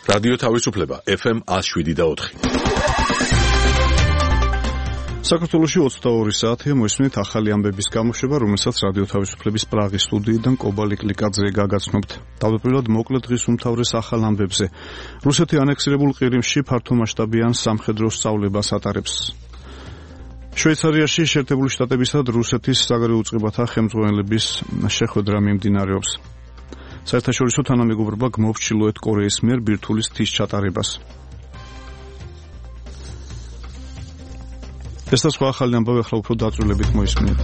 რადიო თავისუფლება FM 107.4. საქართველოში 22 საათია მოისმინეთ ახალი ამბების გამოშვება, რომელსაც რადიო თავისუფლების პრაღის სტუდიიდან კობა ლიკლიკაძე გაგაცნობთ. თავდაპირველად მოკლედ დღის უმთავრეს ახალ ამბებზე. რუსეთი ანექსირებულ ყირიმში ფართომასშტაბიან სამხედრო სწავლებას ატარებს. შვეიცარიაში შეერთებული შტატებისა და რუსეთის საგარეო უწყებათა ხელმძღვანელების შეხვედრა მიმდინარეობს. საერთაშორისო თანამეგობრობა გმობს ჩრდილოეთ კორეის მიერ ბირთვული თის ჩატარებას. ეს და სხვა ახალი ამბავი ახლა უფრო დაწვრილებით მოისმინეთ.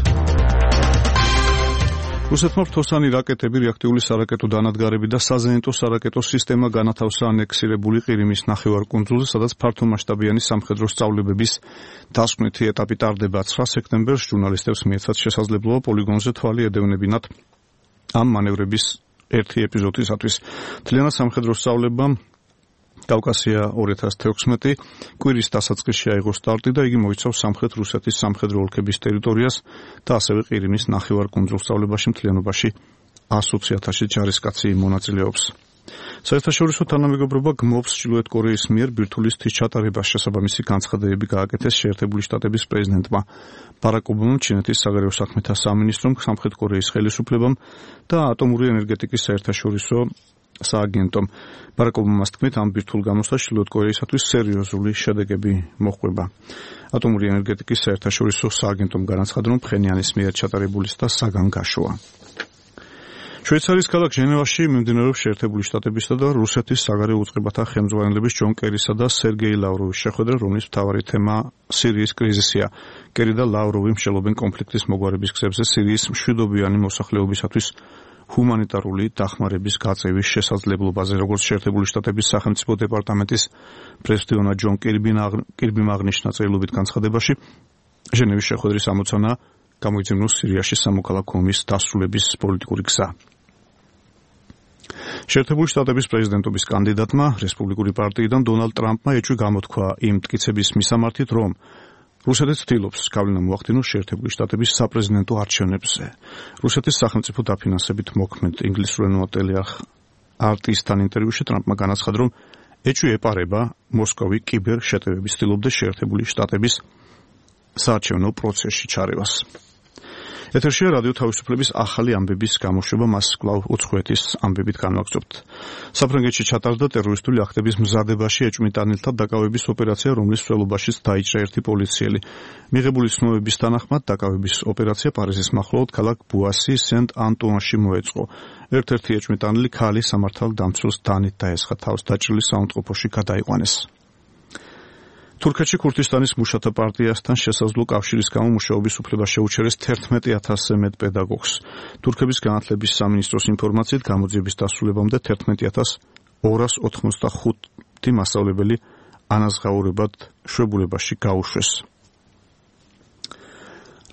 რუსეთმა რთოსანი რაკეტები, რეაქტიული სარაკეტო დანადგარები და საზენიტო სარაკეტო სისტემა განათავსა ანექსირებული ყირიმის ნახევარკუნძულზე, სადაც ფართომასშტაბიანი სამხედრო სწავლებების დასკვნითი ეტაპი ტარდება. 9 სექტემბერს ჟურნალისტებს მიეცათ შესაძლებლობა პოლიგონზე თვალი ედევნებინათ ამ მანევრების ერთი ეპიზოდისათვის. მთლიანად სამხედრო სწავლებამ კავკასია 2016 კვირის დასაწყისში აიღო სტარტი და იგი მოიცავს სამხრეთ რუსეთის სამხედრო ოლქების ტერიტორიას და ასევე ყირიმის ნახევარკუნძულ სწავლებაში მთლიანობაში 120,000 ჯარისკაცი მონაწილეობს. საერთაშორისო თანამეგობრობა გმობს ჩრდილოეთ კორეის მიერ ბირთვული თის ჩატარებას. შესაბამისი განცხადებები გააკეთეს შეერთებული შტატების პრეზიდენტმა ბარაკ ობამამ, ჩინეთის საგარეო საქმეთა სამინისტრომ, სამხრეთ კორეის ხელისუფლებამ და ატომური ენერგეტიკის საერთაშორისო სააგენტომ. ბარაკ ობამას თქმით, ამ ბირთვულ გამოსვლას ჩრდილოეთ კორეისათვის სერიოზული შედეგები მოჰყვება. ატომური ენერგეტიკის საერთაშორისო სააგენტომ განაცხადა, რომ ფხენიანის მიერ ჩატარებული და საგანგაშოა. შვეიცარიის ქალაქ ჟენევაში მიმდინარეობს შეერთებული შტატებისა და რუსეთის საგარეო უწყებათა ხელმძღვანელების ჯონ კერისა და სერგეი ლავროვის შეხვედრა, რომლის მთავარი თემა სირიის კრიზისია. კერი და ლავროვი მსჯელობენ კონფლიქტის მოგვარების გზებზე სირიის მშვიდობიანი მოსახლეობისათვის ჰუმანიტარული დახმარების გაწევის შესაძლებლობაზე. როგორც შეერთებული შტატების სახელმწიფო დეპარტამენტის პრესდიონა ჯონ კირბიმ აღნიშნა წერილობით განცხადებაში, ჟენევის შეხვედრის ამოცანა გამოიძებნოს სირიაში სამოქალაქო ომის დასრულების პოლიტიკური გზა. შეერთებული შტატების პრეზიდენტობის კანდიდატმა რესპუბლიკური პარტიიდან დონალდ ტრამპმა ეჭვი გამოთქვა იმ მტკიცების მისამართით, რომ რუსეთი ცდილობს გავლენა მოახდინოს შეერთებული შტატების საპრეზიდენტო არჩევნებზე. რუსეთის სახელმწიფო დაფინანსებით მოქმედ ინგლისურენოვან ტელეარხ-RT-სთან ინტერვიუში ტრამპმა განაცხადა, რომ ეჭვი ეპარება მოსკოვი კიბერ შეტევების ცდილობდა შეერთებული შტატების საარჩევნო პროცესში ჩარევას. ეთერშია რადიო თავისუფლების ახალი ამბების გამოშვება, მას კვლავ უცხოეთის ამბებით განვაგრძობთ. საფრანგეთში ჩატარდა ტერორისტული აქტების მზადებაში ეჭვმიტანილთა დაკავების ოპერაცია, რომლის მსვლელობაშიც დაიჭრა ერთი პოლიციელი. მიღებული ცნობების თანახმად დაკავების ოპერაცია პარიზის მახლობლად ქალაქ ბუასი სენტ-ანტუანში მოეწყო. ერთ-ერთი ეჭვმიტანილი ქალი სამართალდამცველს დანით დაესხა, თავს დაჭრილი საუნდტროფოში გადაიყვანეს. თურქეთში ქურთისტანის მუშათა პარტიასთან შესაძლო კავშირის გამო მუშაობის უფლება შეუჩერეს 11,000-ზე მეტ პედაგოგს. თურქების განათლების სამინისტროს ინფორმაციით, გამოძიების დასრულებამდე 11,285 მასწავლებელი ანაზღაურებად შვებულებაში გაუშვეს.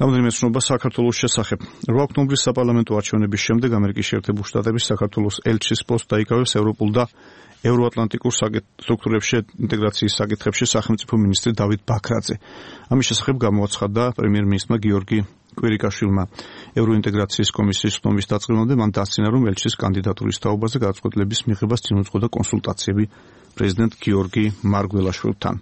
რამდენიმე ცნობა საქართველოს შესახებ. 8 ოქტომბრის საპარლამენტო არჩევნების შემდეგ ამერიკის შეერთებული შტატების საქართველოს ელჩის პოსტს დაიკავეს ევროპულ და ევროატლანტიკურ სტრუქტურებში ინტეგრაციის საკითხებში სახელმწიფო მინისტრი დავით ბაქრაძე. ამის შესახებ გამოაცხადა პრემიერ-მინისტრმა გიორგი კვირიკაშვილმა. ევროინტეგრაციის კომისიის ხტომის დაწყებამდე მან დასცინა, რომ ელჩის კანდიდატურის თაობაზე გადაწყვეტილების მიღებას წინ უძღოდა კონსულტაციები პრეზიდენტ გიორგი მარგველაშვილთან.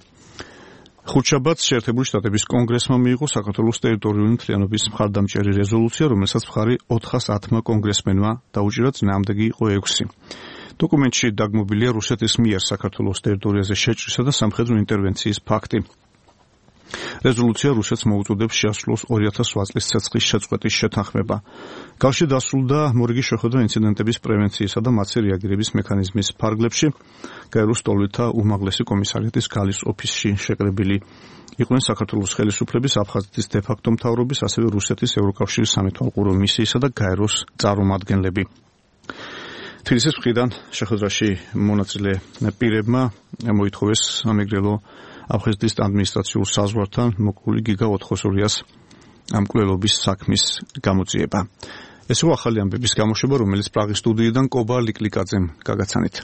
ხუთშაბათს შეერთებული შტატების კონგრესმა მიიღო საქართველოს ტერიტორიული მთლიანობის მხარდამჭერი რეზოლუცია, რომელსაც მხარი 410 კონგრესმენმა დაუჭირა, წინააღმდეგი იყო 6. დოკუმენტში დაგმობილია რუსეთის მიერ საქართველოს ტერიტორიაზე შეჭრისა და სამხედრო ინტერვენციის ფაქტი. რეზოლუცია რუსეთს მოუწოდებს შეასრულოს 2008 წლის ცეცხლის შეწყვეტის შეთანხმება. გალში დასრულდა მორიგი შეხვედრა ინციდენტების პრევენციისა და მათზე რეაგირების მექანიზმის ფარგლებში. გაეროს სტოლითა უმაღლესი კომისარიატის გალის ოფისში შეკრებილი იყვნენ საქართველოს ხელისუფლების, აფხაზეთის დე-ფაქტო მთავრობის, ასევე რუსეთის ევროკავშირის სამეთვალყურო მისიისა და გაეროს წარმომადგენლები. თბილისის მხრიდან შეხვედრაში მონაწილე პირებმა მოითხოვეს სამეგრელო აფხაზეთის ადმინისტრაციულ საზღვართან მოკლული გიგა 400-ს მკვლელობის საქმის გამოძიება. ეს ახალი ამბების გამოშვება, რომელიც პრაღის სტუდიიდან კობა ლიკლიკაძემ გაგაცანით.